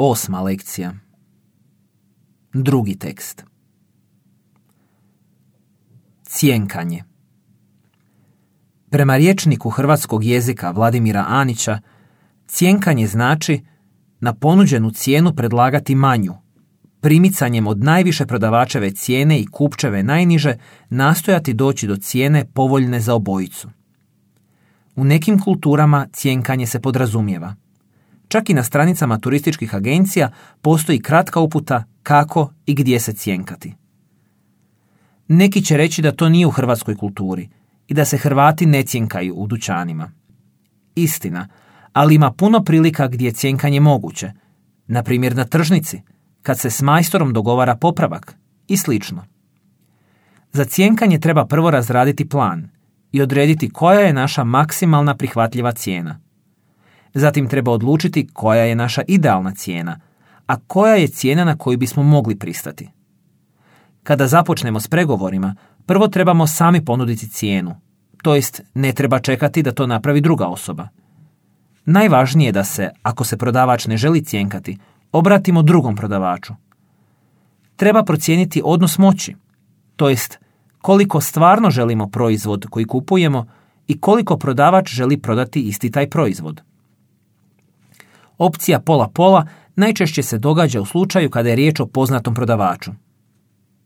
8. lekcija. Drugi tekst. Cjenkanje. Prema rječniku hrvatskog jezika Vladimira Anića, cjenkanje znači na ponuđenu cijenu predlagati manju, primicanjem od najviše prodavačeve cijene i kupčeve najniže nastojati doći do cijene povoljne za obojicu. U nekim kulturama cjenkanje se podrazumijeva. Čak i na stranicama turističkih agencija postoji kratka uputa kako i gdje se cjenkati. Neki će reći da to nije u hrvatskoj kulturi i da se Hrvati ne cjenkaju u dućanima. Istina, ali ima puno prilika gdje je cjenkanje moguće, na primjer na tržnici, kad se s majstorom dogovara popravak i slično. Za cjenkanje treba prvo razraditi plan i odrediti koja je naša maksimalna prihvatljiva cijena. Zatim treba odlučiti koja je naša idealna cijena, a koja je cijena na koju bismo mogli pristati. Kada započnemo s pregovorima, prvo trebamo sami ponuditi cijenu, to jest ne treba čekati da to napravi druga osoba. Najvažnije je da se, ako se prodavač ne želi cjenkati, obratimo drugom prodavaču. Treba procijeniti odnos moći, to jest koliko stvarno želimo proizvod koji kupujemo i koliko prodavač želi prodati isti taj proizvod. Opcija pola-pola najčešće se događa u slučaju kada je riječ o poznatom prodavaču.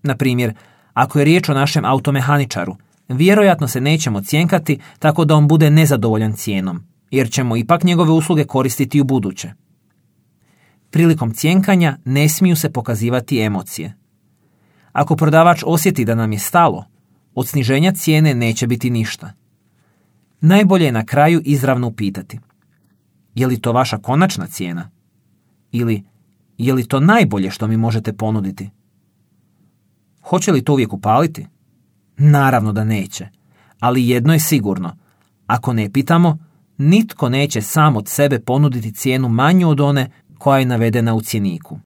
Na primjer, ako je riječ o našem automehaničaru, vjerojatno se nećemo cjenkati tako da on bude nezadovoljan cijenom, jer ćemo ipak njegove usluge koristiti u buduće. Prilikom cjenkanja ne smiju se pokazivati emocije. Ako prodavač osjeti da nam je stalo, od sniženja cijene neće biti ništa. Najbolje je na kraju izravno upitati: je li to vaša konačna cijena? Ili je li to najbolje što mi možete ponuditi? Hoće li to uvijek upaliti? Naravno da neće, ali jedno je sigurno: ako ne pitamo, nitko neće sam od sebe ponuditi cijenu manju od one koja je navedena u cjeniku.